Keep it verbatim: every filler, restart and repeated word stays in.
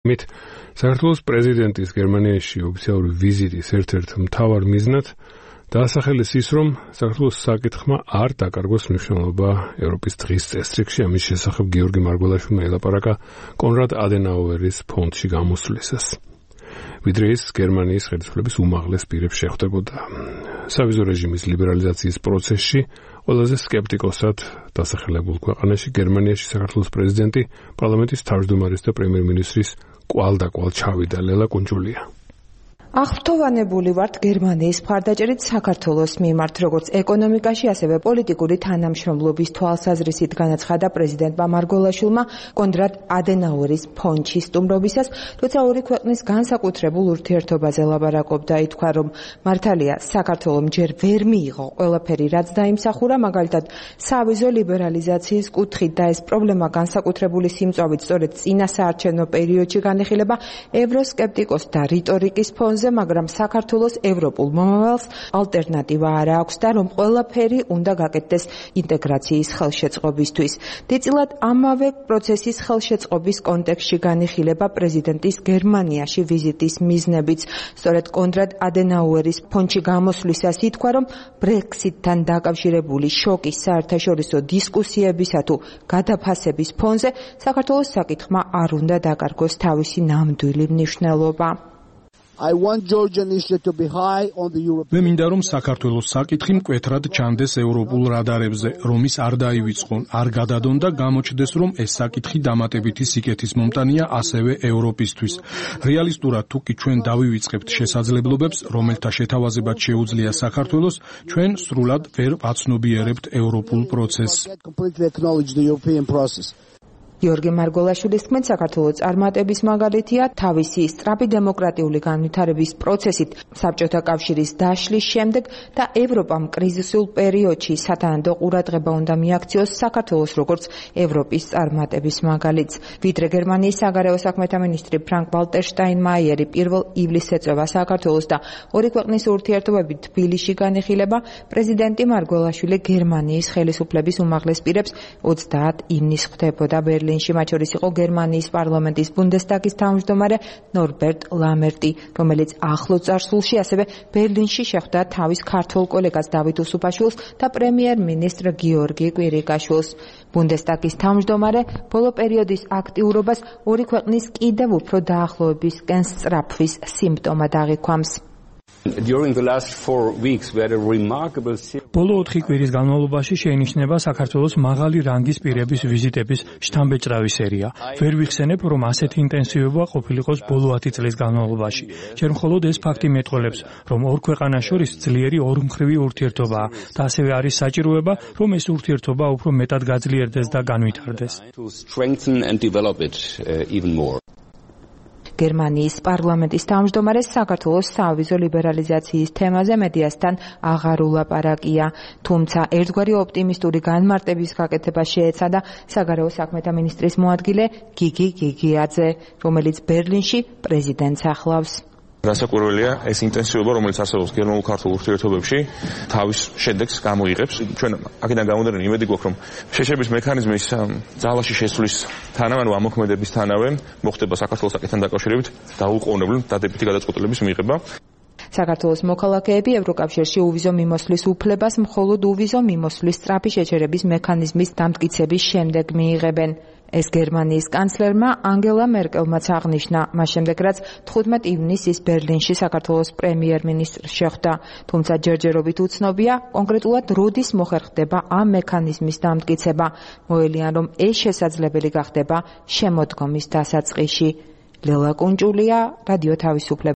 მით საქართველოს პრეზიდენტის გერმანიაში ოფიციალური ვიზიტის ერთ-ერთ მთავარ მიზნად დაასახელეს ის, რომ საქართველოს საკითხმა არ დაკარგოს მნიშვნელობა ევროპის დღის წესრიგში. ამის შესახებ გიორგი მარგველაშვილმა ელაპარაკა კონრად ადენაუერის ფონდში გამოსვლისას. ვიდრე ის გერმანიის ხელისუფლების უმაღლეს პირებს შეხვდებოდა. სავიზო რეჟიმის ლიბერალიზაციის პროცესში ყველაზე სკეპტიკოსად დასახელებულ ქვეყანაში გერმანიაში საქართველოს პრეზიდენტი პარლამენტის თავმჯდომარის და პრემიერ-მინისტრის კვალდაკვალ ჩავიდა. ლელა კუნჯულია. აღფრთოვანებული ვართ გერმანიის მხარდაჭერით საქართველოს მიმართ, როგორც ეკონომიკაში, ასევე პოლიტიკური თანამშრომლობის თვალსაზრისით განაცხადა პრეზიდენტმა მარგველაშვილმა კონრად ადენაუერის ფონდში სტუმრობისას, როცა ორი ქვეყნის განსაკუთრებულ ურთიერთობაზე ლაპარაკობდა. ითქვა, რომ მართალია საქართველომ ჯერ ვერ მიიღო ყველაფერი, რაც დაიმსახურა, მაგალითად სავიზო ლიბერალიზაციის კუთხით, და ეს პრობლემა განსაკუთრებული სიმწვავით სწორედ წინა საარჩევნო პერიოდში განიხილება ევროსკეპტიკოსთა რიტორიკის ფონზე, მაგრამ საქართველოს ევროპულ მომავალს ალტერნატივა არ აქვს და რომ ყველაფერი უნდა გაკეთდეს ინტეგრაციის ხელშეწყობისთვის. დიდწილად ამავე პროცესის ხელშეწყობის კონტექსტში განიხილება პრეზიდენტის გერმანიაში ვიზიტის მიზნებიც. სწორედ კონრად ადენაუერის ფონდში გამოსვლისას ითქვა, რომ ბრექსიტთან დაკავშირებული შოკის საერთაშორისო დისკუსიებისა თუ გადაფასების ფონზე საქართველოს საკითხმა არ უნდა დაკარგოს თავისი ნამდვილი მნიშვნელობა. მე მინდა რომ საქართველოს საკითხი მკვეთრად ჩანდეს ევროპულ რადარებზე, რომ ის არ დაივიწყონ, არ გადადონ და გამოჩნდეს, რომ ეს საკითხი დამატებითი სიკეთის მომტანია ასევე ევროპისთვის. რეალისტურად თუ კი ჩვენ დავივიწყებთ შესაძლებლობებს, რომელთა შეთავაზებაც შეუძლია საქართველოს, ჩვენ სრულად ვერ ვაცნობიერებთ ევროპულ პროცესს. გიორგი მარგველაშვილის თქმით, საქართველოს წარმატების მაგალითია თავისი სწრაფი დემოკრატიული განვითარების პროცესით საბჭოთა კავშირის დაშლის შემდეგ და ევროპამ კრიზისულ პერიოდში სათანადო ყურადღება უნდა მიაქციოს საქართველოს როგორც ევროპის წარმატების მაგალითს. ვიდრე გერმანიის საგარეო საქმეთა მინისტრი ფრანკ ვალტერ შტაინმაიერი პირველ ივლისს ეწევა საქართველოს და ორი ქვეყნის ურთიერთობები თბილისში განიხილება, პრეზიდენტი მარგველაშვილი გერმანიის ხელისუფლების უმაღლეს პირებს ოცდაათ ივნისს ხვდებოდა ბერლინში. მათ შორის იყო გერმანიის პარლამენტის ბუნდესტაგის თავმჯდომარე ნორბერტ ლამერტი, რომელიც ახლო წარსულში ასევე ბერლინში შეხვდა თავის ქართველ კოლეგას დავით უსუფაშვილს და პრემიერ-მინისტრ გიორგი კვირიკაშვილს. ბუნდესტაგის თავმჯდომარე ბოლო პერიოდის აქტიურობას ორი ქვეყნის კიდევ უფრო დაახლოებისკენ სწრაფვის სიმპტომად აღიქვამს. ბოლო ოთხი კვირის განმავლობაში შეინიშნება საქართველოს მაღალი რანგის პირების ვიზიტების შთამბეჭდავი სერია. ვერ ვიხსენებ, რომ ასეთი ინტენსივობა ყოფილიყოს ბოლო ათი წლის განმავლობაში. ჯერ მხოლოდ ეს ფაქტი მეტყველებს, რომ ორ ქვეყანას შორის ძლიერი ორმხრივი ურთიერთობაა და ასევე არის საჭიროება, რომ ეს ურთიერთობა უფრო მეტად გაძლიერდეს და განვითარდეს. გერმანიის პარლამენტის თავმჯდომარე საქართველოს სავიზო ლიბერალიზაციის თემაზე მედიასთან აღარ ულაპარაკია, თუმცა ერთგვარი ოპტიმისტური განმარტების გაკეთება შეეცადა საგარეო საქმეთა მინისტრის მოადგილე გიგი გიგიაძე, რომელიც ბერლინში პრეზიდენტს ახლავს. რასაკვირველია, ეს ინტენსივობა, რომელიც არსებობს გერმანულ-ქართულ ურთიერთობებში, თავის შედეგს გამოიღებს. ჩვენ აქედან გამომდინარე იმედი გვაქვს, რომ შეშების მექანიზმის ძალაში შესვლის თანავე, ამოქმედების თანავე მოხდება საქართველოს საკითხთან დაკავშირებით დაუყოვნებლივ დადებითი გადაწყვეტილების მიღება. საქართველოს მოქალაქეები ევროკავშირში უვიზო მიმოსვლის უფლებას მხოლოდ უვიზო მიმოსვლის სწრაფი შეჩერების მექანიზმის დამტკიცების შემდეგ მიიღებენ. ეს გერმანიის კანცლერმა ანგელა მერკელმაც აღნიშნა, მას შემდეგ რაც თხუთმეტ ივნისს ის ბერლინში საქართველოს პრემიერ-მინისტრს შეხვდა, თუმცა ჯერჯერობით უცნობია კონკრეტულად როდის მოხერხდება ამ მექანიზმის დამტკიცება. მოელიან, რომ ეს შესაძლებელი გახდება შემოდგომის დასაწყისში. ლელა კუნჯულია, რადიო თავისუფლება.